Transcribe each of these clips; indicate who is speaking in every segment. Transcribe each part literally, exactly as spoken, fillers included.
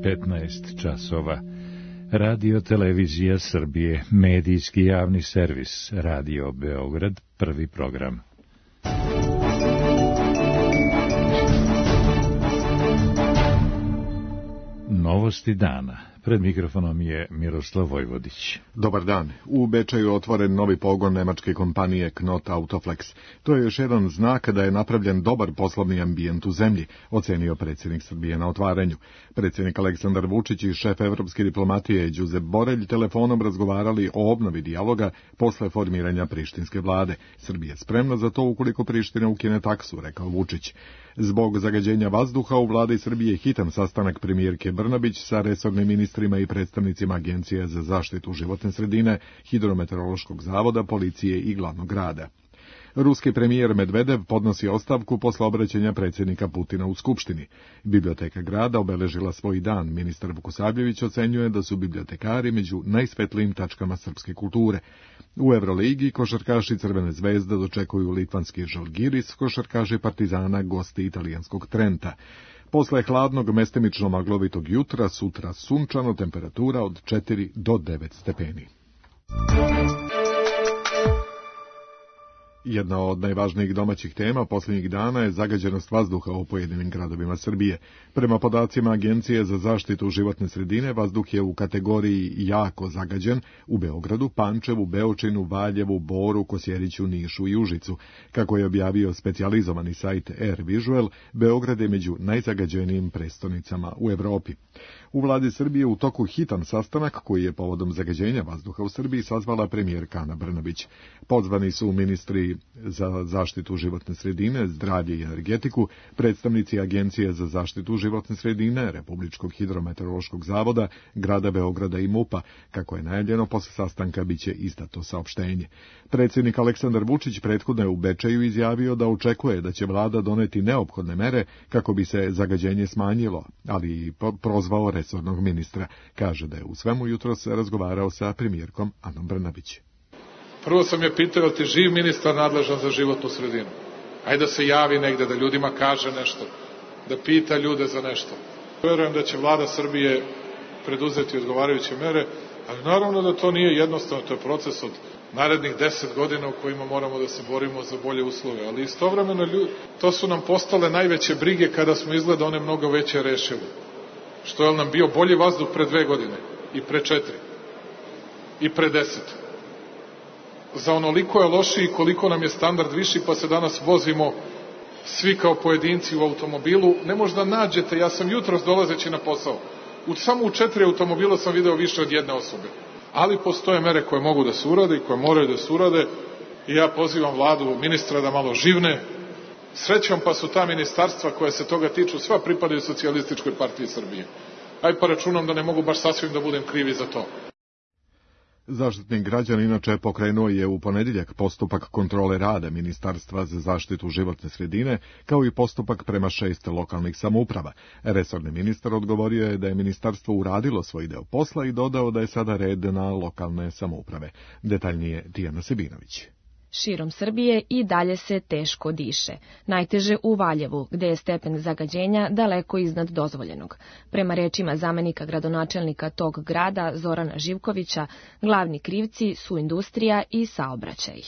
Speaker 1: petnaest časova. Radio Televizija Srbije, medijski javni servis, Radio Beograd, prvi program. Novosti dana. Pred mikrofonom je Miroslav Vojvodić.
Speaker 2: Dobar dan. U Bečeju je otvoren novi pogon nemačke kompanije Knot Autoflex. To je još jedan znak da je napravljen dobar poslovni ambijent u zemlji, ocenio predsjednik Srbije na otvaranju. Predsjednik Aleksandar Vučić i šef evropske diplomatije Đuzep Borelj telefonom razgovarali o obnovi dijaloga posle formiranja prištinske vlade. Srbija je spremna za to ukoliko Priština ukine taksu, rekao Vučić. Zbog zagađenja vazduha u vladi Srbije hitan sastanak premijerke Brnabić sa resornim ministrima i predstavnicima Agencije za zaštitu životne sredine, Hidrometeorološkog zavoda, policije i glavnog grada. Ruski premijer Medvedev podnosi ostavku posle obraćanja predsjednika Putina u Skupštini. Biblioteka grada obeležila svoj dan. Ministar Vukosavljević ocenjuje da su bibliotekari među najsvetlijim tačkama srpske kulture. U Evroligi košarkaši Crvene zvezde dočekuju litvanski Žalgiris, košarkaši Partizana gosti italijanskog Trenta. Posle hladnog mestimično maglovitog jutra, sutra sunčano, temperatura od četiri do devet stepeni. Jedna od najvažnijih domaćih tema posljednjih dana je zagađenost vazduha u pojedinim gradovima Srbije. Prema podacima Agencije za zaštitu životne sredine, vazduh je u kategoriji jako zagađen u Beogradu, Pančevu, Beočinu, Valjevu, Boru, Kosjeriću, Nišu i Užicu. Kako je objavio specijalizovani sajt Air Visual, Beograd je među najzagađenijim prestonicama u Evropi. U vladi Srbije u toku hitan sastanak koji je povodom zagađenja vazduha u Srbiji sazvala premijerka Ana Brnabić. Pozvani su ministri za zaštitu životne sredine, zdravlje i energetiku, predstavnici Agencije za zaštitu životne sredine, Republičkog hidrometeorološkog zavoda, grada Beograda i MUP-a. Kako je najavljeno, posle sastanka biće izdato saopštenje. Predsjednik Aleksandar Vučić prethodno je u Bečeju izjavio da očekuje da će vlada doneti neophodne mere kako bi se zagađenje smanjilo, ali i prozvao resornog ministra. Kaže da je u svemu jutros razgovarao sa premijerkom Anom Brnabić.
Speaker 3: Prvo sam je pitao, ti živ ministar nadležan za životnu sredinu? Ajde da se javi negde, da ljudima kaže nešto, da pita ljude za nešto. Verujem da će vlada Srbije preduzeti odgovarajuće mere, ali naravno da to nije jednostavno, to je proces od narednih deset godina u kojima moramo da se borimo za bolje uslove, ali istovremeno ljudi, to su nam postale najveće brige kada smo izgleda one mnogo veće rešili. Što je nam bio bolji vazduh pre dve godine i pre četiri i pre deset. Za onoliko je lošiji koliko nam je standard viši, pa se danas vozimo svi kao pojedinci u automobilu. Ne možda nađete, ja sam jutros dolazeći na posao, u samo u četiri automobila sam video više od jedne osobe. Ali postoje mere koje mogu da se urade i koje moraju da se urade i ja pozivam vladu, ministra da malo živne. Srećom pa su ta ministarstva koja se toga tiču, sva pripadaju Socijalističkoj partiji Srbije. Aj pa računam da ne mogu baš sasvim da budem krivi za to.
Speaker 2: Zaštitnik građana inače pokrenuo je u ponedjeljak postupak kontrole rada Ministarstva za zaštitu životne sredine, kao i postupak prema šest lokalnih samouprava. Resorni ministar odgovorio je da je ministarstvo uradilo svoj deo posla i dodao da je sada red na lokalne samouprave. Detaljnije Tijana Sebinović.
Speaker 4: Širom Srbije i dalje se teško diše. Najteže u Valjevu, gde je stepen zagađenja daleko iznad dozvoljenog. Prema rečima zamenika gradonačelnika tog grada, Zorana Živkovića, glavni krivci su industrija i saobraćaj.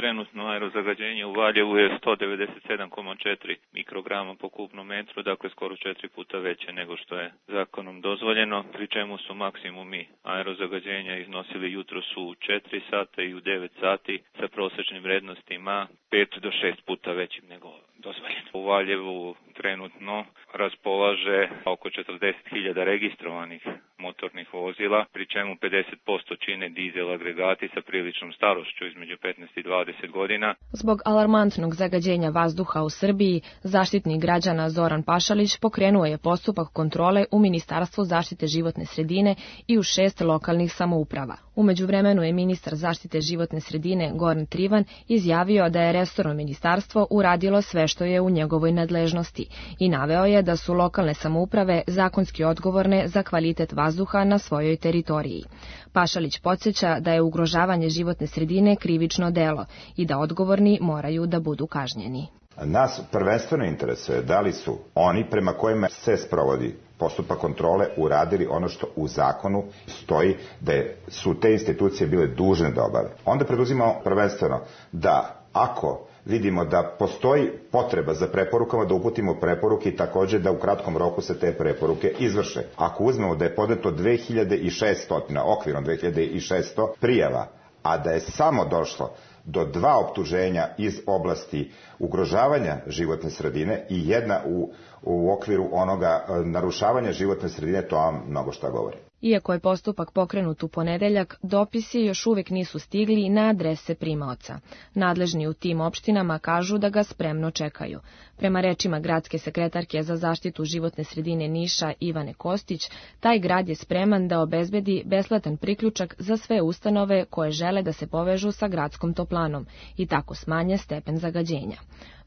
Speaker 5: Trenutno aerozagađenje u Valjevu je sto devedeset sedam zarez četiri mikrograma po kubnom metru, dakle skoro četiri puta veće nego što je zakonom dozvoljeno, pri čemu su maksimumi aerozagađenja iznosili jutros u četiri sata i u devet sati sa prosječnim vrednostima pet do šest puta većim nego dozvoljeno. U Valjevu trenutno raspolaže oko četrdeset hiljada registrovanih motornih vozila, pri čemu pedeset posto čine dizel agregati sa priličnom starošću između petnaest i dvadeset godina.
Speaker 4: Zbog alarmantnog zagađenja vazduha u Srbiji, zaštitnik građana Zoran Pašalić pokrenuo je postupak kontrole u Ministarstvu zaštite životne sredine i u šest lokalnih samouprava. U međuvremenu je ministar zaštite životne sredine Goran Trivan izjavio da je resorno ministarstvo uradilo sve što je u njegovoj nadležnosti i naveo je da su lokalne samouprave zakonski odgovorne za kvalitet vazduha na svojoj teritoriji. Pašalić podsjeća da je ugrožavanje životne sredine krivično delo i da odgovorni moraju da budu kažnjeni.
Speaker 6: Nas prvenstveno interesuje da li su oni prema kojima se sprovodi postupak kontrole uradili ono što u zakonu stoji da su te institucije bile dužne da obave. Onda preduzimamo prvenstveno da ako vidimo da postoji potreba za preporukama, da uputimo preporuke i takođe da u kratkom roku se te preporuke izvrše. Ako uzmemo da je podneto dve hiljade šesto, okvirno dve hiljade šesto prijava, a da je samo došlo do dva optuženja iz oblasti ugrožavanja životne sredine i jedna u, u okviru onoga narušavanja životne sredine, to vam mnogo šta govori.
Speaker 4: Iako je postupak pokrenut u ponedeljak, dopisi još uvijek nisu stigli na adrese primaoca. Nadležni u tim opštinama kažu da ga spremno čekaju. Prema rečima gradske sekretarke za zaštitu životne sredine Niša Ivane Kostić, taj grad je spreman da obezbedi besplatan priključak za sve ustanove koje žele da se povežu sa gradskom toplanom i tako smanje stepen zagađenja.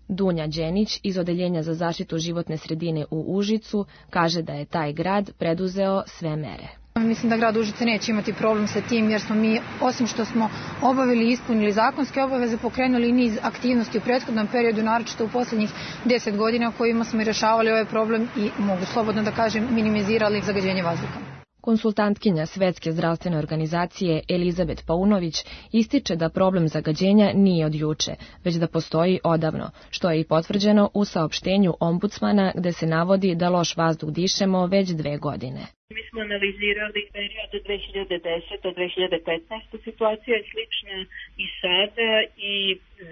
Speaker 4: Dunja Đenić iz Odeljenja za zaštitu životne sredine u Užicu kaže da je taj grad preduzeo sve mere.
Speaker 7: Mislim da grad Užice neće imati problem sa tim jer smo mi, osim što smo obavili i ispunili zakonske obaveze, pokrenuli niz aktivnosti u prethodnom periodu, naročito u posljednjih deset godina kojima smo i rešavali ovaj problem i mogu slobodno da kažem minimizirali zagađenje vazduha.
Speaker 4: Konsultantkinja Svetske zdravstvene organizacije Elizabet Paunović ističe da problem zagađenja nije od juče, već da postoji odavno, što je i potvrđeno u saopštenju ombudsmana gde se navodi da loš vazduh dišemo već dve godine.
Speaker 8: Mi smo analizirali period dve hiljade desete do dve hiljade petnaeste. Situacija je slična i sada i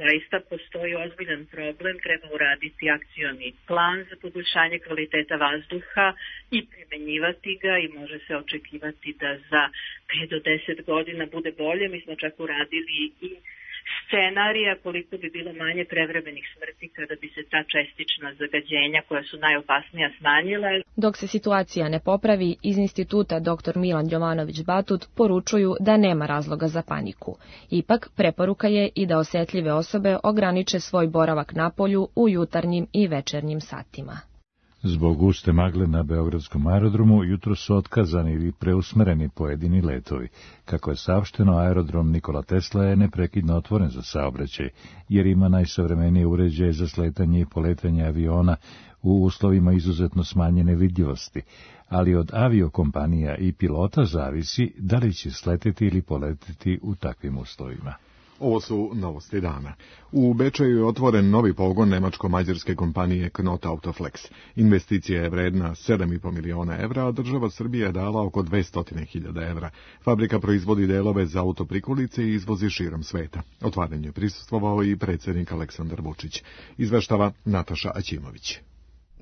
Speaker 8: zaista postoji ozbiljan problem. Treba uraditi akcioni plan za poboljšanje kvaliteta vazduha i primenjivati ga i može se očekivati da za pet do deset godina bude bolje. Mi smo čak uradili i scenarija koliko bi bilo manje prevremenih smrti kada bi se ta čestična zagađenja koja su najopasnija smanjila.
Speaker 4: Dok se situacija ne popravi, iz instituta doktor Milan Jovanović-Batut poručuju da nema razloga za paniku. Ipak, preporuka je i da osetljive osobe ograniče svoj boravak na polju u jutarnjim i večernjim satima.
Speaker 1: Zbog guste magle na beogradskom aerodromu jutro su otkazani ili preusmereni pojedini letovi. Kako je saopšteno, aerodrom Nikola Tesla je neprekidno otvoren za saobraćaj, jer ima najsavremenije uređaje za sletanje i poletanje aviona u uslovima izuzetno smanjene vidljivosti, ali od aviokompanija i pilota zavisi da li će sleteti ili poleteti u takvim uslovima.
Speaker 2: Ovo su novosti dana. U Bečeju je otvoren novi pogon nemačko-mađarske kompanije Knot Autoflex. Investicija je vredna sedam i po miliona evra, a država Srbije je dala oko dvesta hiljada evra. Fabrika proizvodi delove za autoprikolice i izvozi širom sveta. Otvaranju je prisustvovao i predsjednik Aleksandar Vučić. Izveštava Nataša Aćimović.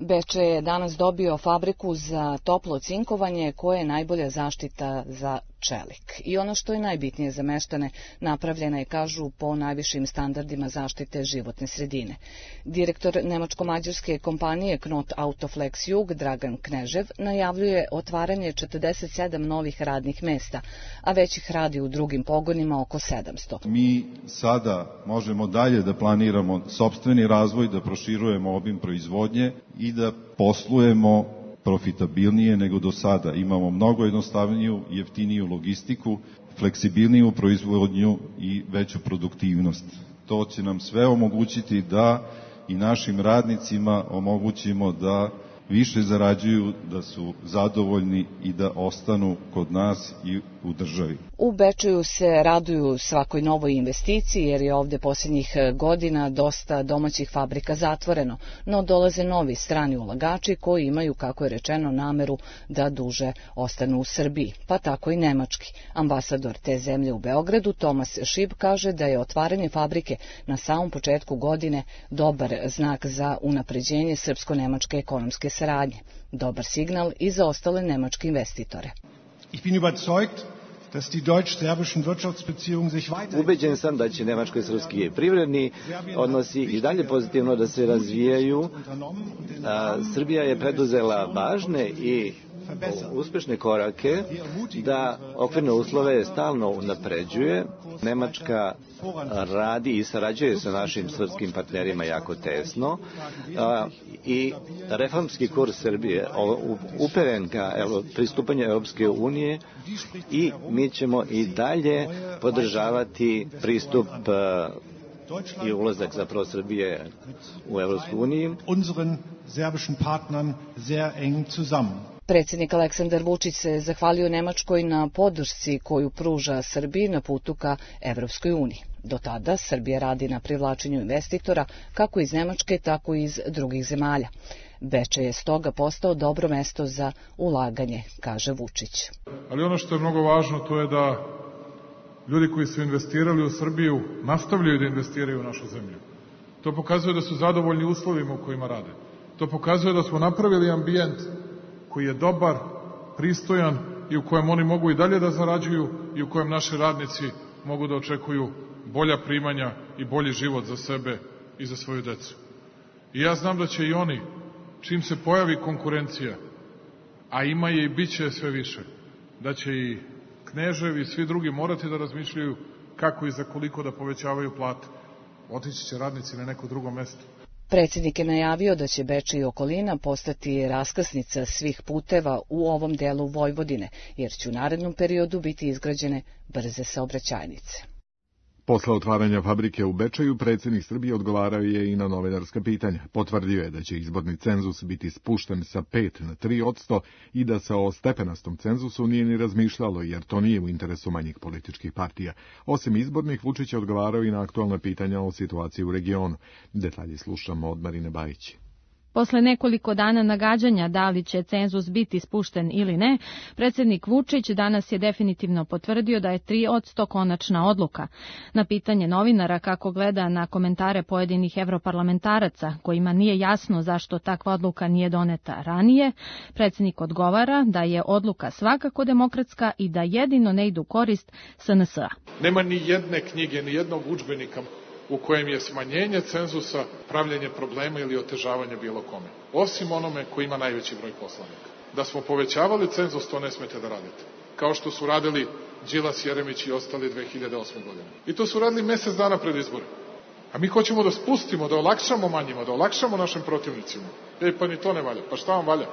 Speaker 9: Beče je danas dobio fabriku za toplo cinkovanje koje je najbolja zaštita za čelik. I ono što je najbitnije za meštane, napravljena je, kažu, po najvišim standardima zaštite životne sredine. Direktor nemačko-mađarske kompanije Knot Autoflex Jug, Dragan Knežev, najavljuje otvaranje četrdeset sedam novih radnih mesta, a već ih radi u drugim pogonima oko sedamsto.
Speaker 10: Mi sada možemo dalje da planiramo sopstveni razvoj, da proširujemo obim proizvodnje i da poslujemo profitabilnije nego do sada. Imamo mnogo jednostavniju, jeftiniju logistiku, fleksibilniju proizvodnju i veću produktivnost. To će nam sve omogućiti da i našim radnicima omogućimo da više zarađuju, da su zadovoljni i da ostanu kod nas i u državi.
Speaker 9: U Bečeju se raduju svakoj novoj investiciji jer je ovde posljednjih godina dosta domaćih fabrika zatvoreno, no dolaze novi strani ulagači koji imaju, kako je rečeno, nameru da duže ostanu u Srbiji, pa tako i nemački. Ambasador te zemlje u Beogradu, Tomas Šib, kaže da je otvaranje fabrike na samom početku godine dobar znak za unapređenje srpsko-nemačke ekonomske saradnje. Dobar signal i za ostale nemačke investitore.
Speaker 11: Ich bin überzeugt, dass die deutsch-serbischen Wirtschaftsbeziehungen sich weiter...
Speaker 12: Ubeđen sam da će nemačko-srpski privredni odnosi i dalje pozitivno da se razvijaju. A, Srbija je preduzela važne i uspešne korake da okvirne uslove stalno unapređuje. Nemačka radi i sarađuje sa našim srpskim partnerima jako tesno i reformski kurs Srbije uperen ka pristupanju Europske unije i mi ćemo i dalje podržavati pristup i ulazak zapravo Srbije u Europsku uniju.
Speaker 11: Unseren serbischen Partnern sehr eng zusammen.
Speaker 9: Predsjednik Aleksandar Vučić se zahvalio Nemačkoj na podršci koju pruža Srbiji na putu ka Evropskoj uniji. Do tada Srbija radi na privlačenju investitora kako iz Nemačke, tako i iz drugih zemalja. Bečej je stoga postao dobro mesto za ulaganje, kaže Vučić.
Speaker 3: Ali ono što je mnogo važno to je da ljudi koji su investirali u Srbiju nastavljaju da investiraju u našu zemlju. To pokazuje da su zadovoljni uslovima u kojima rade. To pokazuje da smo napravili ambijent koji je dobar, pristojan i u kojem oni mogu i dalje da zarađuju i u kojem naši radnici mogu da očekuju bolja primanja i bolji život za sebe i za svoju decu. I ja znam da će i oni, čim se pojavi konkurencija, a ima je i bit će sve više, da će i Kneževi i svi drugi morati da razmišljaju kako i za koliko da povećavaju plate. Otići će radnici na neko drugo mesto.
Speaker 9: Predsjednik je najavio da će Bečej i okolina postati raskrsnica svih puteva u ovom delu Vojvodine, jer će u narednom periodu biti izgrađene brze saobraćajnice.
Speaker 2: Posle otvaranja fabrike u Bečeju, predsjednik Srbije odgovarao je i na novinarska pitanja. Potvrdio je da će izborni cenzus biti spušten sa pet na tri odsto i da se o stepenastom cenzusu nije ni razmišljalo, jer to nije u interesu manjih političkih partija. Osim izbornih, Vučić je odgovarao i na aktualna pitanja o situaciji u regionu. Detalji slušamo od Marine Bajić.
Speaker 13: Posle nekoliko dana nagađanja da li će cenzus biti spušten ili ne, predsjednik Vučić danas je definitivno potvrdio da je tri odsto konačna odluka. Na pitanje novinara kako gleda na komentare pojedinih evroparlamentaraca, kojima nije jasno zašto takva odluka nije doneta ranije, predsjednik odgovara da je odluka svakako demokratska i da jedino ne idu korist S N S-a.
Speaker 3: Nema ni jedne knjige, ni jednog udžbenika u kojem je smanjenje cenzusa pravljenje problema ili otežavanje bilo kome. Osim onome koji ima najveći broj poslanika. Da smo povećavali cenzus, to ne smete da radite. Kao što su radili Đilas, Jeremić i ostali dve hiljade osme godine. I to su radili mesec dana pred izbore. A mi hoćemo da spustimo, da olakšamo manjima, da olakšamo našim protivnicima. E, pa ni to ne valja. Pa šta vam valja?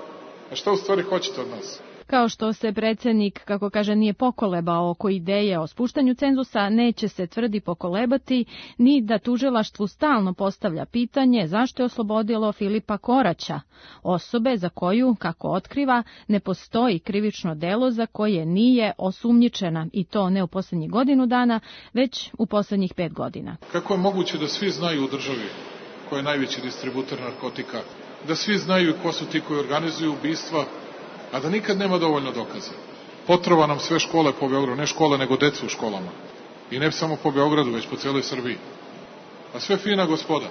Speaker 3: A šta u stvari hoćete od nas?
Speaker 13: Kao što se predsjednik, kako kaže, nije pokolebao oko ideje o spuštanju cenzusa, neće se, tvrdi, pokolebati ni da tužilaštvu stalno postavlja pitanje zašto je oslobodilo Filipa Koraća, osobe za koju, kako otkriva, ne postoji krivično delo za koje nije osumnjičena, i to ne u posljednjih godinu dana, već u posljednjih pet godina.
Speaker 3: Kako je moguće da svi znaju u državi ko je najveći distributer narkotika, da svi znaju ko su ti koji organizuju ubistva, a da nikad nema dovoljno dokaza? Potrova nam sve škole po Beogradu, ne škole, nego decu u školama. I ne samo po Beogradu, već po cijeloj Srbiji. A sve fina gospoda.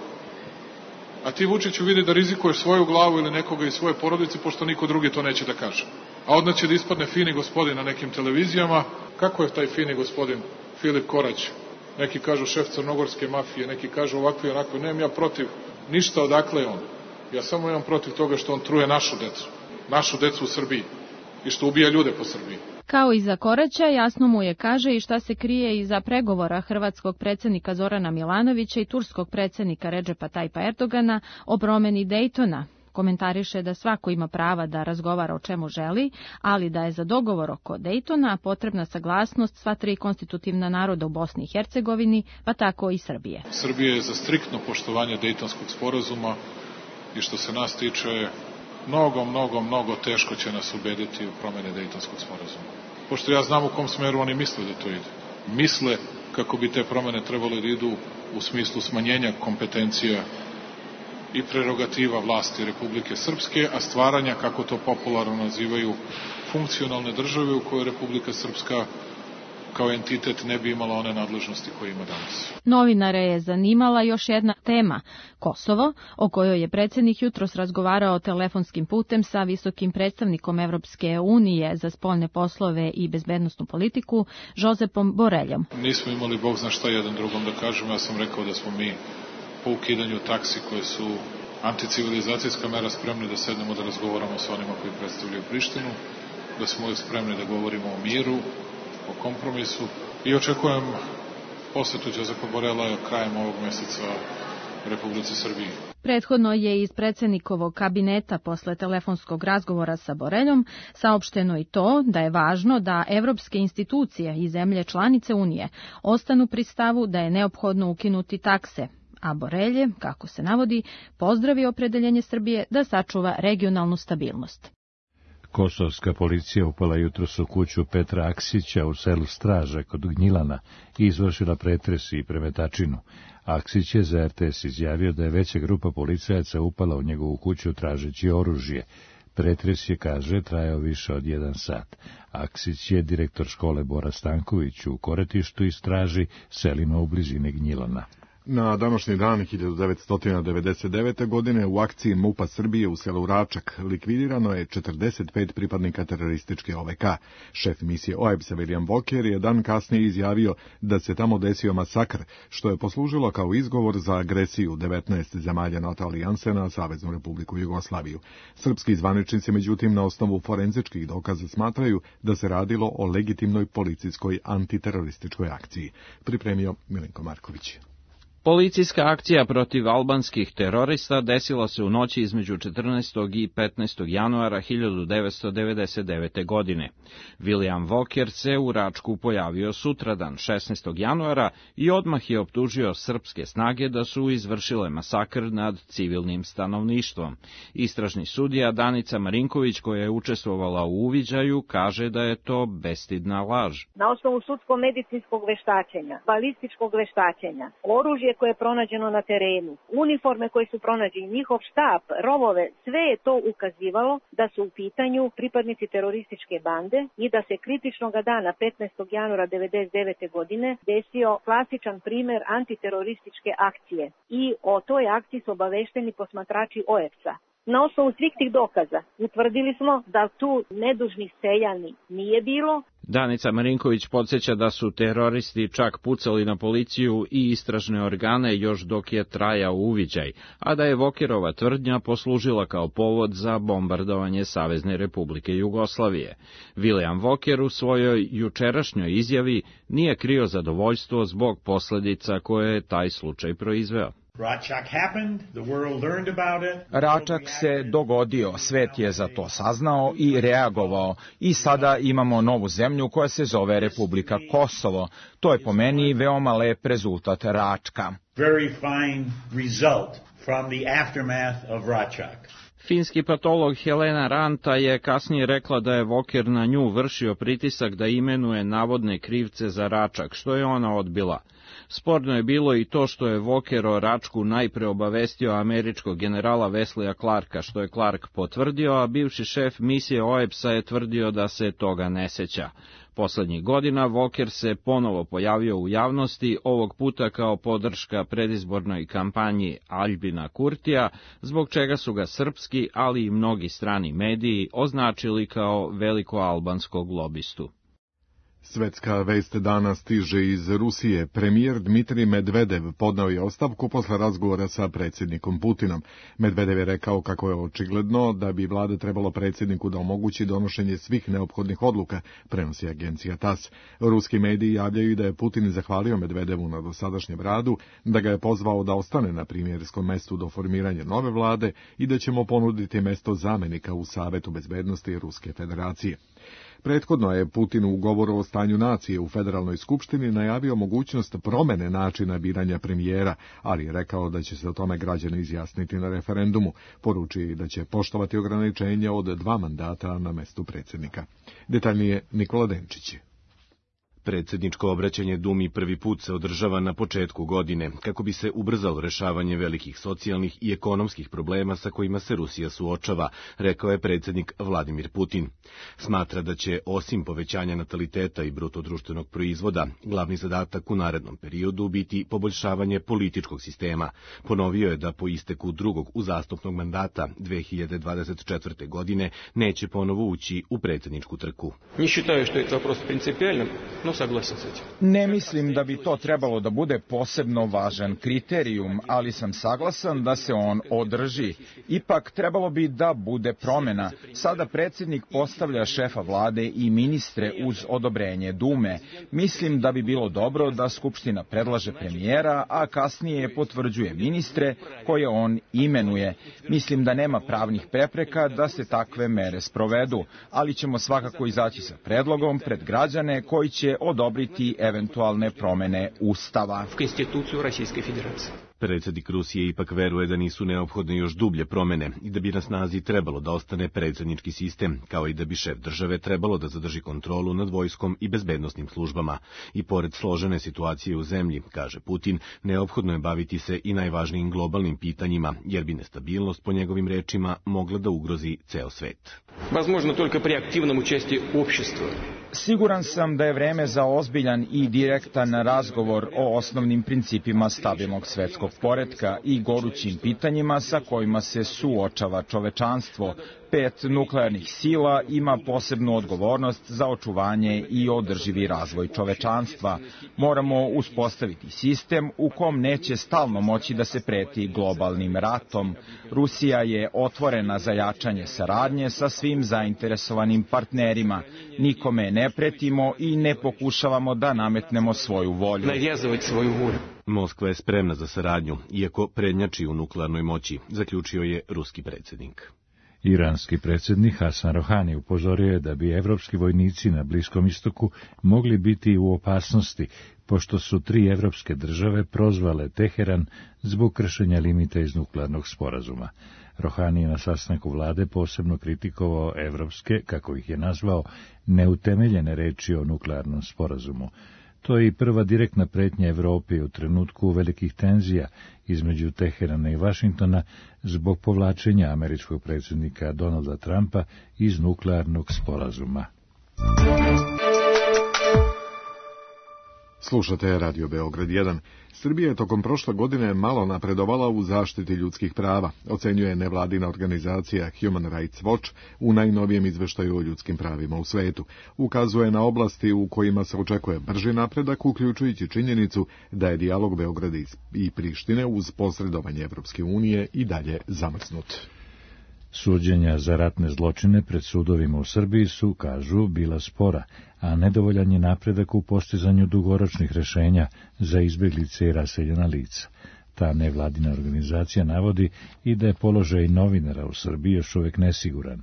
Speaker 3: A ti, Vučiću, vidi da rizikuješ svoju glavu ili nekoga iz svoje porodice, pošto niko drugi to neće da kaže. A odmah će da ispadne fini gospodin na nekim televizijama. Kako je taj fini gospodin Filip Korać? Neki kažu šef crnogorske mafije, neki kažu ovakvi i onakvi. Nemam ja protiv ništa odakle je on. Ja samo imam protiv toga što on truje našu decu. Našu decu u Srbiji i što ubija ljude po Srbiji.
Speaker 13: Kao i za Koraća, jasno mu je, kaže, i šta se krije iza pregovora hrvatskog predsjednika Zorana Milanovića i turskog predsjednika Redžepa Tajpa Erdogana o promeni Dejtona. Komentariše da svako ima prava da razgovara o čemu želi, ali da je za dogovor oko Dejtona potrebna saglasnost sva tri konstitutivna naroda u Bosni i Hercegovini, pa tako i Srbije.
Speaker 3: Srbija je za striktno poštovanje Dejtonskog sporazuma i što se nas tiče, mnogo, mnogo, mnogo teško će nas ubediti u promene Dejtonskog sporazuma. Pošto ja znam u kom smeru oni misle da to ide. Misle kako bi te promene trebalo da idu u smislu smanjenja kompetencija i prerogativa vlasti Republike Srpske, a stvaranja, kako to popularno nazivaju, funkcionalne države u kojoj Republika Srpska kao entitet ne bi imala one nadležnosti koje ima danas.
Speaker 13: Novinare je zanimala još jedna tema, Kosovo, o kojoj je predsjednik jutros razgovarao telefonskim putem sa visokim predstavnikom Evropske unije za spoljne poslove i bezbednosnu politiku, Josepom Boreljom.
Speaker 3: Nismo imali Bog zna šta jedan drugom da kažemo, ja sam rekao da smo mi po ukidanju taksi koje su anticivilizacijska mera spremni da sednemo da razgovaramo sa onima koji predstavljaju Prištinu, da smo uvijek spremni da govorimo o miru, o kompromisu i očekujem posetu Josepa Borela krajem ovog mjeseca Republici Srbiji.
Speaker 13: Prethodno je iz predsjednikovog kabineta posle telefonskog razgovora sa Boreljom saopšteno i to da je važno da evropske institucije i zemlje članice Unije ostanu pri stavu da je neophodno ukinuti takse, a Borelj je, kako se navodi, pozdravio opredeljenje Srbije da sačuva regionalnu stabilnost.
Speaker 1: Kosovska policija upala jutros u kuću Petra Aksića u selu Straža kod Gnjilana i izvršila pretres i premetačinu. Aksić je za er te es izjavio da je veća grupa policajaca upala u njegovu kuću tražeći oružje. Pretres je, kaže, trajao više od jedan sat. Aksić je direktor škole Bora Stanković u Koretištu i Straži, selima u blizini Gnjilana.
Speaker 2: Na današnji dan hiljadu devetsto devedeset devete. godine u akciji MUP-a Srbije u selu Račak likvidirano je četrdeset pet pripadnika terorističke o ve ka. Šef misije o e be es-a William Walker je dan kasnije izjavio da se tamo desio masakr, što je poslužilo kao izgovor za agresiju devetnaest zemalja NATO alijanse na Saveznu Republiku Jugoslaviju. Srpski zvaničnici, međutim, na osnovu forenzičkih dokaza smatraju da se radilo o legitimnoj policijskoj antiterorističkoj akciji. Pripremio Milenko Marković.
Speaker 14: Policijska akcija protiv albanskih terorista desila se u noći između četrnaestog i petnaestog januara hiljadu devetsto devedeset devete. godine. William Walker se u Račku pojavio sutradan, šesnaestog januara, i odmah je optužio srpske snage da su izvršile masakr nad civilnim stanovništvom. Istražni sudija Danica Marinković, koja je učestvovala u uviđaju, kaže da je to bestidna laž.
Speaker 15: Na osnovu sudsko-medicinskog veštačenja, balističkog veštačenja, oružje koje je pronađeno na terenu, uniforme koje su pronađene, njihov štab, rovove, sve je to ukazivalo da su u pitanju pripadnici terorističke bande i da se kritičnog dana petnaestog januara devedeset devete. godine desio klasičan primer antiterorističke akcije i o toj akciji su obavešteni posmatrači o e be es-a. Na osnovu svih tih dokaza utvrdili smo da tu nedužnih seljani nije bilo.
Speaker 14: Danica Marinković podsjeća da su teroristi čak pucali na policiju i istražne organe još dok je trajao uviđaj, a da je Walkerova tvrdnja poslužila kao povod za bombardovanje Savezne Republike Jugoslavije. William Walker u svojoj jučerašnjoj izjavi nije krio zadovoljstvo zbog posljedica koje je taj slučaj proizveo.
Speaker 16: Račak se dogodio, svet je za to saznao i reagovao i sada imamo novu zemlju koja se zove Republika Kosovo. To je po meni veoma lep rezultat Račka.
Speaker 14: Finski patolog Helena Ranta je kasnije rekla da je Walker na nju vršio pritisak da imenuje navodne krivce za Račak, što je ona odbila. Sporno je bilo i to što je Walker o Račku najpre obavestio američkog generala Wesleya Clarka, što je Clark potvrdio, a bivši šef misije o e be es-a je tvrdio da se toga ne seća. Poslednjih godina Walker se ponovo pojavio u javnosti, ovog puta kao podrška predizbornoj kampanji Aljbina Kurtija, zbog čega su ga srpski, ali i mnogi strani mediji označili kao velikoalbanskog lobistu.
Speaker 2: Svetska vest dana stiže iz Rusije. Premijer Dmitrij Medvedev podneo je ostavku posle razgovora sa predsjednikom Putinom. Medvedev je rekao kako je očigledno da bi vlada trebalo predsjedniku da omogući donošenje svih neophodnih odluka, prenosi agencija tas. Ruski mediji javljaju da je Putin zahvalio Medvedevu na dosadašnjem radu, da ga je pozvao da ostane na premijerskom mestu do formiranja nove vlade i da će mu ponuditi mesto zamenika u Savetu bezbednosti Ruske federacije. Prethodno je Putin u govoru o stanju nacije u Federalnoj skupštini najavio mogućnost promene načina biranja premijera, ali je rekao da će se o tome građani izjasniti na referendumu. Poručio da će poštovati ograničenje od dva mandata na mestu predsjednika. Detaljnije Nikola Denčić.
Speaker 17: Predsjedničko obraćanje Dumi prvi put se održava na početku godine, kako bi se ubrzalo rešavanje velikih socijalnih i ekonomskih problema sa kojima se Rusija suočava, rekao je predsjednik Vladimir Putin. Smatra da će, osim povećanja nataliteta i bruto društvenog proizvoda, glavni zadatak u narednom periodu biti poboljšavanje političkog sistema. Ponovio je da po isteku drugog uzastopnog mandata dve hiljade dvadeset četvrte. godine neće ponovo ući u predsjedničku trku.
Speaker 18: Ne считаю, što je to вопрос принципиальным, no
Speaker 16: Ne mislim da bi to trebalo da bude posebno važan kriterijum, ali sam saglasan da se on održi. Ipak trebalo bi da bude promjena. Sada predsjednik postavlja šefa vlade i ministre uz odobrenje Dume. Mislim da bi bilo dobro da Skupština predlaže premijera, a kasnije potvrđuje ministre koje on imenuje. Mislim da nema pravnih prepreka da se takve mere sprovedu, ali ćemo svakako izaći sa predlogom pred građane koji će odobriti eventualne promene Ustava.
Speaker 17: Predsjednik Rusije ipak veruje da nisu neophodne još dublje promene i da bi na snazi trebalo da ostane predsjednički sistem, kao i da bi šef države trebalo da zadrži kontrolu nad vojskom i bezbednosnim službama. I pored složene situacije u zemlji, kaže Putin, neophodno je baviti se i najvažnijim globalnim pitanjima, jer bi nestabilnost, po njegovim rečima, mogla da ugrozi ceo svet.
Speaker 18: Возможно, только при активном участии общества.
Speaker 16: Siguran sam da je vreme za ozbiljan i direktan razgovor o osnovnim principima stabilnog svetskog poretka i gorućim pitanjima sa kojima se suočava čovečanstvo. Pet nuklearnih sila ima posebnu odgovornost za očuvanje i održivi razvoj čovečanstva. Moramo uspostaviti sistem u kom neće stalno moći da se preti globalnim ratom. Rusija je otvorena za jačanje saradnje sa svim zainteresovanim partnerima. Nikome ne pretimo i ne pokušavamo da nametnemo svoju volju.
Speaker 17: Moskva je spremna za saradnju, iako prednjači u nuklearnoj moći, zaključio je ruski predsjednik.
Speaker 1: Iranski predsjednik Hasan Rohani upozorio je da bi evropski vojnici na Bliskom istoku mogli biti u opasnosti, pošto su tri evropske države prozvale Teheran zbog kršenja limita iz nuklearnog sporazuma. Rohani je na sastanku vlade posebno kritikovao evropske, kako ih je nazvao, neutemeljene reči o nuklearnom sporazumu. To je i prva direktna pretnja Evropi u trenutku velikih tenzija između Teherana i Vašingtona zbog povlačenja američkog predsjednika Donalda Trumpa iz nuklearnog sporazuma.
Speaker 2: Slušate Radio Beograd jedan. Srbija je tokom prošle godine malo napredovala u zaštiti ljudskih prava, ocenjuje nevladina organizacija Human Rights Watch u najnovijem izveštaju o ljudskim pravima u svetu. Ukazuje na oblasti u kojima se očekuje brži napredak, uključujući činjenicu da je dijalog Beograda i Prištine uz posredovanje Evropske unije i dalje zamrznut.
Speaker 1: Suđenja za ratne zločine pred sudovima u Srbiji su, kažu, bila spora, a nedovoljan je napredak u postizanju dugoročnih rešenja za izbjeglice i raseljena lica. Ta nevladina organizacija navodi i da je položaj novinara u Srbiji još uvijek nesiguran.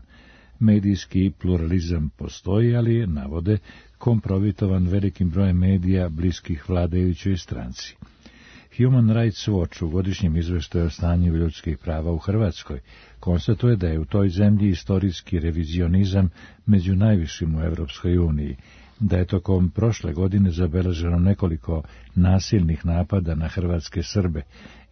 Speaker 1: Medijski pluralizam postoji, ali je, navode, kompromitovan velikim brojem medija bliskih vladajućoj stranci. Human Rights Watch u godišnjem izveštaju o stanju ljudskih prava u Hrvatskoj konstatuje da je u toj zemlji istorijski revizionizam među najvišim u Evropskoj uniji, da je tokom prošle godine zabeleženo nekoliko nasilnih napada na hrvatske Srbe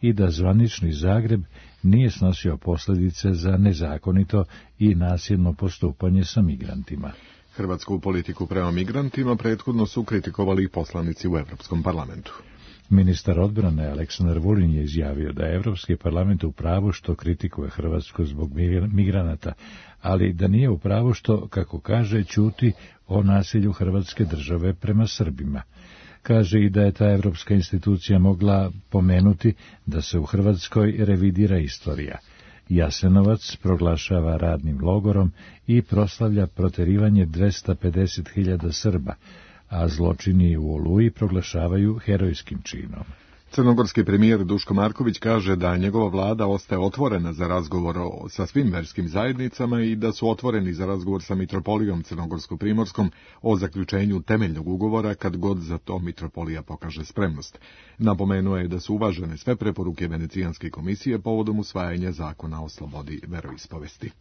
Speaker 1: i da zvanični Zagreb nije snosio posljedice za nezakonito i nasilno postupanje sa migrantima.
Speaker 2: Hrvatsku politiku prema migrantima prethodno su kritikovali i poslanici u Evropskom parlamentu.
Speaker 1: Ministar odbrane Aleksandar Vulin je izjavio da je Evropski parlament u pravu što kritikuje Hrvatsku zbog migranata, ali da nije u pravu što, kako kaže, ćuti o nasilju Hrvatske države prema Srbima. Kaže i da je ta evropska institucija mogla pomenuti da se u Hrvatskoj revidira istorija. Jasenovac proglašava radnim logorom i proslavlja proterivanje dvesta pedeset hiljada Srba, a zločini u Oluji proglašavaju herojskim činom.
Speaker 2: Crnogorski premijer Duško Marković kaže da njegova vlada ostaje otvorena za razgovor sa svim verskim zajednicama i da su otvoreni za razgovor sa mitropolijom Crnogorsko-Primorskom o zaključenju temeljnog ugovora kad god za to mitropolija pokaže spremnost. Napomenuo je da su uvažene sve preporuke Venecijanske komisije povodom usvajanja zakona o slobodi veroispovesti.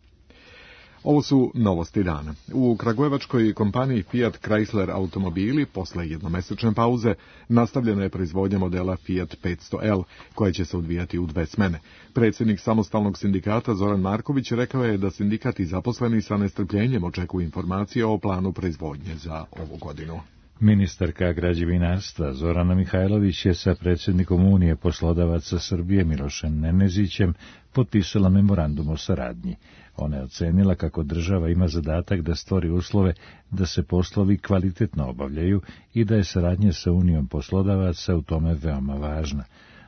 Speaker 2: Ovo su novosti dana. U kragujevačkoj kompaniji Fiat Chrysler automobili posle jednomesečne pauze nastavljena je proizvodnja modela Fiat petsto L, koja će se odvijati u dve smene. Predsjednik samostalnog sindikata Zoran Marković rekao je da sindikat i zaposleni sa nestrpljenjem očekuju informacije o planu proizvodnje za ovu godinu.
Speaker 1: Ministarka građevinarstva Zorana Mihajlović je sa predsjednikom Unije poslodavaca Srbije Milošem Nenezićem potpisala memorandum o saradnji. Ona je ocenila kako država ima zadatak da stvori uslove da se poslovi kvalitetno obavljaju i da je saradnja sa Unijom poslodavaca u tome veoma važna.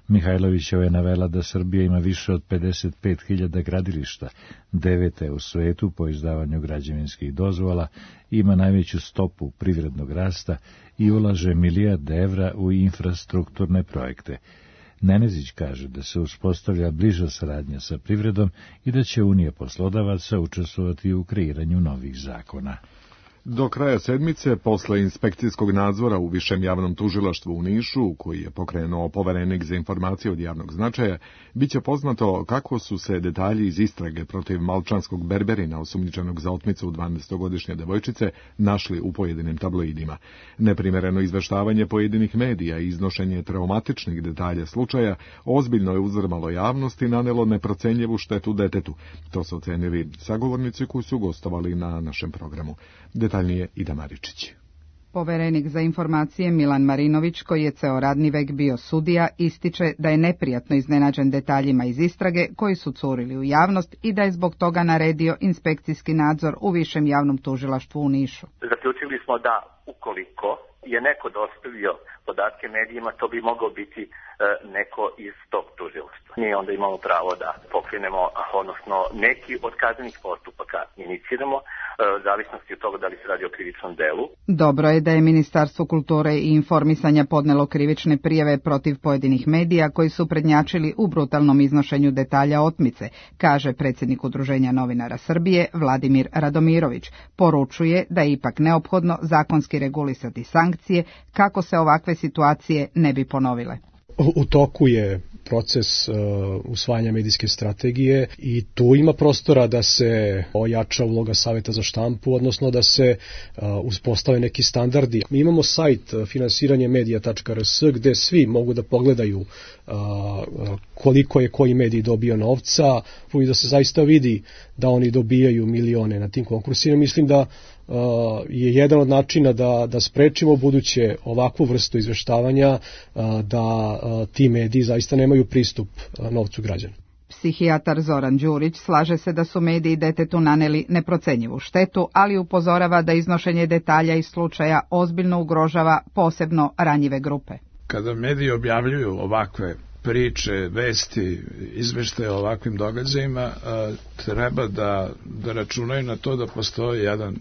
Speaker 1: Mihajlovićeva je navela da Srbija ima više od pedeset pet hiljada gradilišta, devete u svetu po izdavanju građevinskih dozvola, ima najveću stopu privrednog rasta i ulaže milijarde evra u infrastrukturne projekte. Nenezić kaže da se uspostavlja bliža saradnja sa privredom i da će Unija poslodavaca učestvovati u kreiranju novih zakona.
Speaker 2: Do kraja sedmice, posle inspekcijskog nadzora u Višem javnom tužilaštvu u Nišu, koji je pokrenuo poverenik za informacije od javnog značaja, biće poznato kako su se detalji iz istrage protiv malčanskog berberina osumnjičenog za otmicu dvanaestogodišnje devojčice našli u pojedinim tabloidima. Neprimereno izveštavanje pojedinih medija i iznošenje traumatičnih detalja slučaja ozbiljno je uzdrmalo javnost i nanelo neprocenljivu štetu detetu. To su ocenili sagovornici koji su gostovali na našem programu. Detaljnije Ida Maričić.
Speaker 19: Poverenik za informacije Milan Marinović, koji je ceo radni vek bio sudija, ističe da je neprijatno iznenađen detaljima iz istrage koji su curili u javnost i da je zbog toga naredio inspekcijski nadzor u Višem javnom tužilaštvu u Nišu.
Speaker 20: Zaključili smo da ukoliko je neko dostavio podatke medijima, to bi mogao biti e, neko iz tog tužilaštva. Mi onda imamo pravo da pokrenemo, odnosno neki od kaznenih postupaka iniciramo, e, u zavisnosti od toga da li se radi o krivičnom delu.
Speaker 19: Dobro je da je Ministarstvo kulture i informisanja podnelo krivične prijave protiv pojedinih medija koji su prednjačili u brutalnom iznošenju detalja otmice, kaže predsjednik Udruženja novinara Srbije Vladimir Radomirović. Poručuje da je ipak neophodno zakonski regulisati sankcije kako se ovakve situacije ne bi ponovile.
Speaker 21: U toku je proces uh, usvajanja medijske strategije i tu ima prostora da se ojača uloga Saveta za štampu, odnosno da se uh, uspostave neki standardi. Mi imamo sajt uh, finansiranje medija tačka r s gde svi mogu da pogledaju uh, koliko je koji medij dobio novca i da se zaista vidi da oni dobijaju milione na tim konkursima. Mislim da Uh, je jedan od načina da, da sprečimo buduće ovakvu vrstu izveštavanja, uh, da uh, ti mediji zaista nemaju pristup uh, novcu građana.
Speaker 19: Psihijatar Zoran Đurić slaže se da su mediji detetu naneli neprocenjivu štetu, ali upozorava da iznošenje detalja iz slučaja ozbiljno ugrožava posebno ranjive grupe.
Speaker 22: Kada mediji objavljuju ovakve priče, vesti, izveštaje o ovakvim događajima, treba da, da računaju na to da postoji jedan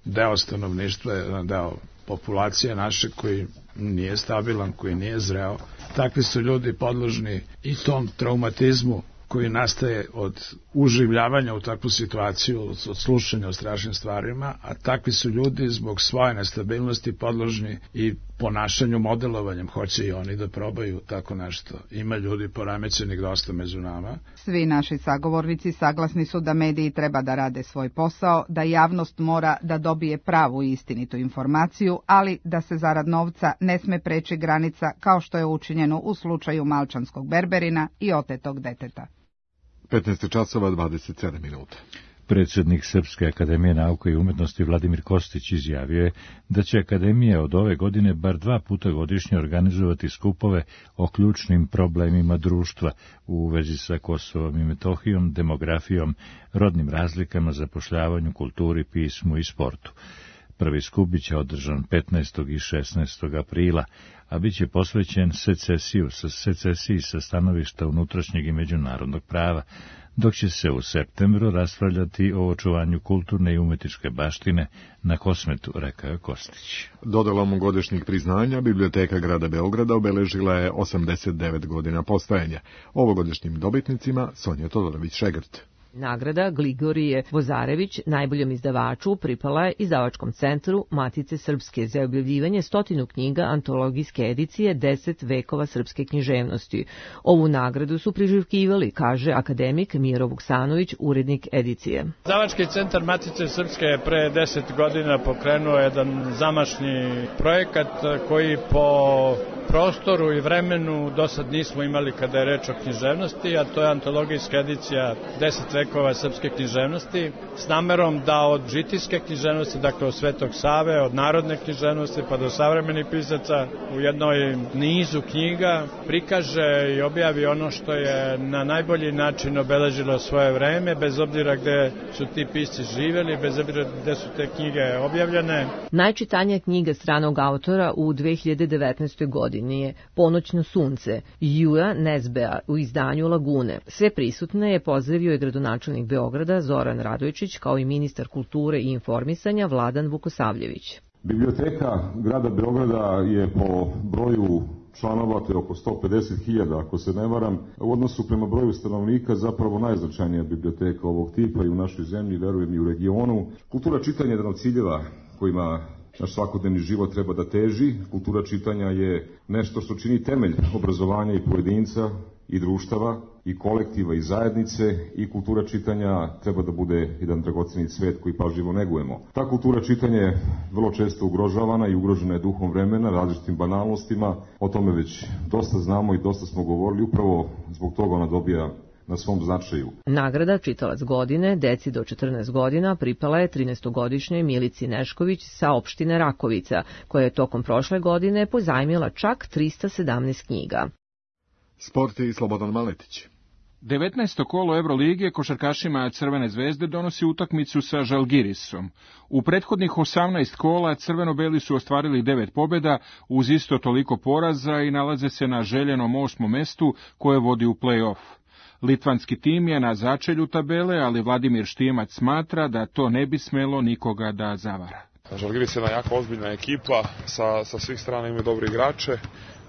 Speaker 22: deo stanovništva, jedan deo populacije naše koji nije stabilan, koji nije zreo. Takvi su ljudi podložni i tom traumatizmu koji nastaje od uživljavanja u takvu situaciju, od slušanja o strašnim stvarima, a takvi su ljudi zbog svoje nestabilnosti podložni i ponašanju, modelovanjem. Hoće i oni da probaju tako nešto. Ima ljudi poremećenih dosta među nama.
Speaker 19: Svi naši sagovornici saglasni su da mediji treba da rade svoj posao, da javnost mora da dobije pravu i istinitu informaciju, ali da se zarad novca ne sme preći granica kao što je učinjeno u slučaju malčanskog berberina i otetog deteta.
Speaker 2: petnaest časova dvadeset sedam minuta.
Speaker 1: Predsjednik Srpske akademije nauke i umetnosti Vladimir Kostić izjavio je da će akademija od ove godine bar dva puta godišnje organizovati skupove o ključnim problemima društva u vezi sa Kosovom i Metohijom, demografijom, rodnim razlikama, zapošljavanju, kulturi, pismu i sportu. Prvi skup biće održan petnaestog i šesnaestog aprila, a bit će posvećen secesiju, sa secesiji sa stanovišta unutrašnjeg i međunarodnog prava, dok će se u septembru raspravljati o očuvanju kulturne i umetničke baštine na Kosmetu, rekao je Kostić.
Speaker 2: Dodalom godišnjih priznanja, Biblioteka grada Beograda obeležila je osamdeset devet godina postojanja. Ovogodišnjim dobitnicima Sonja Todorović-Šegrt.
Speaker 23: Nagrada Gligorije Vozarević najboljom izdavaču pripala je izdavačkom centru Matice Srpske za objavljivanje stotinu knjiga antologijske edicije deset vekova srpske književnosti. Ovu nagradu su priželjkivali, kaže akademik Miro Vuksanović, urednik edicije.
Speaker 24: Izdavački centar Matice Srpske je pre deset godina pokrenuo jedan zamašni projekat koji po prostoru i vremenu do sad nismo imali kada je reč o književnosti, a to je antologijska edicija deset vekova srpske književnosti, s namerom da od žitijske književnosti, dakle od Svetog Save, od narodne književnosti pa do savremenih pisaca u jednoj nizu knjiga prikaže i objavi ono što je na najbolji način obeležilo svoje vreme, bez obzira gde su ti pisci živeli, bez obzira gde su te knjige objavljene.
Speaker 23: Najčitanija knjiga stranog autora u dve hiljade devetnaestoj godini je Ponoćno sunce, Jura Nezbea u izdanju Lagune. Sve prisutne je pozdravio i gradonačelnik Beograda Zoran Radojičić, kao i ministar kulture i informisanja Vladan Vukosavljević.
Speaker 25: Biblioteka grada Beograda je po broju
Speaker 5: članova, to je oko sto pedeset hiljada, ako se ne varam. U odnosu prema broju stanovnika zapravo najznačajnija biblioteka ovog tipa i u našoj zemlji, verujem i u regionu. Kultura čitanja je jedan od ciljeva kojima naš svakodnevni život treba da teži. Kultura čitanja je nešto što čini temelj obrazovanja i pojedinca i društava i kolektiva i zajednice i kultura čitanja treba da bude jedan dragoceni cvet koji pažljivo negujemo. Ta kultura čitanja je vrlo često ugrožavana i ugrožena je duhom vremena, različitim banalnostima. O tome već dosta znamo i dosta smo govorili, upravo zbog toga ona dobija na svom značaju.
Speaker 23: Nagrada Čitalac godine deci do četrnaest godina pripala je trinaestogodišnjoj Milici Nešković sa opštine Rakovica, koja je tokom prošle godine pozajmila čak trista sedamnaest knjiga.
Speaker 2: Sport i Slobodan Maletić.
Speaker 6: devetnaesto kolo Evrolige košarkašima Crvene zvezde donosi utakmicu sa Žalgirisom. U prethodnih osamnaest kola crveno-beli su ostvarili devet pobjeda uz isto toliko poraza i nalaze se na željenom osmom mestu koje vodi u play-off. Litvanski tim je na začelju tabele, ali Vladimir Štimac smatra da to ne bi smelo nikoga da zavara.
Speaker 7: Žalgiris je jedna jako ozbiljna ekipa, sa, sa svih strana imaju dobre igrače.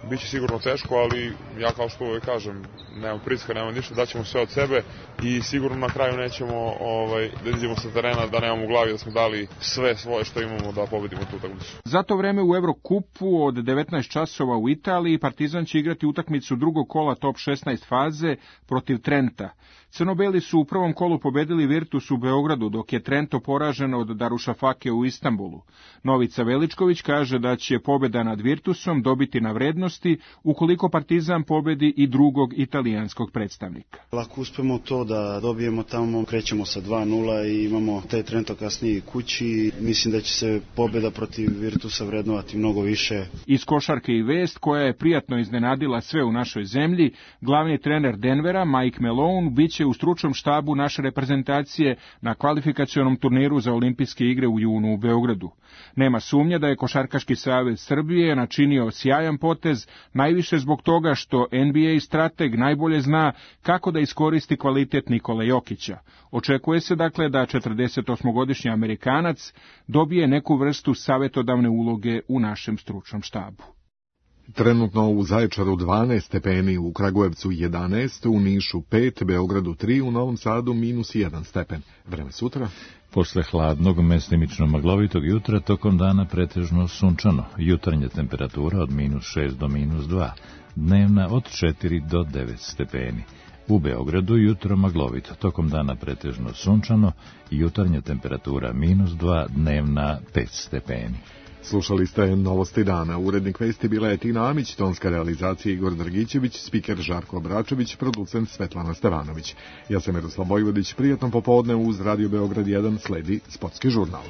Speaker 7: Biće sigurno teško, ali ja kao što uvijek kažem, nemam pritiska, nemam ništa, daćemo sve od sebe i sigurno na kraju nećemo ovaj, da izađemo sa terena, da nemamo u glavi da smo dali sve svoje što imamo da pobedimo tu utakmicu.
Speaker 6: Za to vreme u Evrokupu od devetnaest časova u Italiji Partizan će igrati utakmicu drugog kola top šesnaest faze protiv Trenta. Crnobeli su u prvom kolu pobedili Virtus u Beogradu, dok je Trento poražen od Darušafake u Istanbulu. Novica Veličković kaže da će pobjeda nad Virtusom dobiti na vrednosti ukoliko Partizan pobedi i drugog italijanskog predstavnika.
Speaker 8: Lako uspemo to da dobijemo tamo, krećemo sa dva nula i imamo taj Trento kasnije kući. Mislim da će se pobjeda protiv Virtusa vrednovati mnogo više.
Speaker 6: Iz košarke i vest koja je prijatno iznenadila sve u našoj zemlji, glavni trener Denvera Mike Malone biće u stručnom štabu naše reprezentacije na kvalifikacionom turniru za olimpijske igre u junu u Beogradu. Nema sumnje da je Košarkaški savez Srbije načinio sjajan potez, najviše zbog toga što N B A strateg najbolje zna kako da iskoristi kvalitet Nikole Jokića. Očekuje se dakle da četrdesetosmogodišnji Amerikanac dobije neku vrstu savjetodavne uloge u našem stručnom štabu.
Speaker 2: Trenutno u Zaječaru dvanaest stepeni, u Kragujevcu jedanaest, u Nišu pet, Beogradu tri, u Novom Sadu minus jedan stepen. Vreme sutra?
Speaker 1: Posle hladnog, mestimično maglovitog jutra, tokom dana pretežno sunčano. Jutarnja temperatura od minus šest do minus dva, dnevna od četiri do devet stepeni. U Beogradu jutro maglovito, tokom dana pretežno sunčano, jutarnja temperatura minus dva, dnevna pet stepeni.
Speaker 2: Slušali ste Novosti dana. Urednik vesti bila je Tina Amić, tonska realizacija Igor Drgićević, spiker Žarko Obračević, producent Svetlana Stevanović. Ja sam Miroslav Vojvodić, prijatno popodne uz Radio Beograd jedan sledi Sportski žurnal.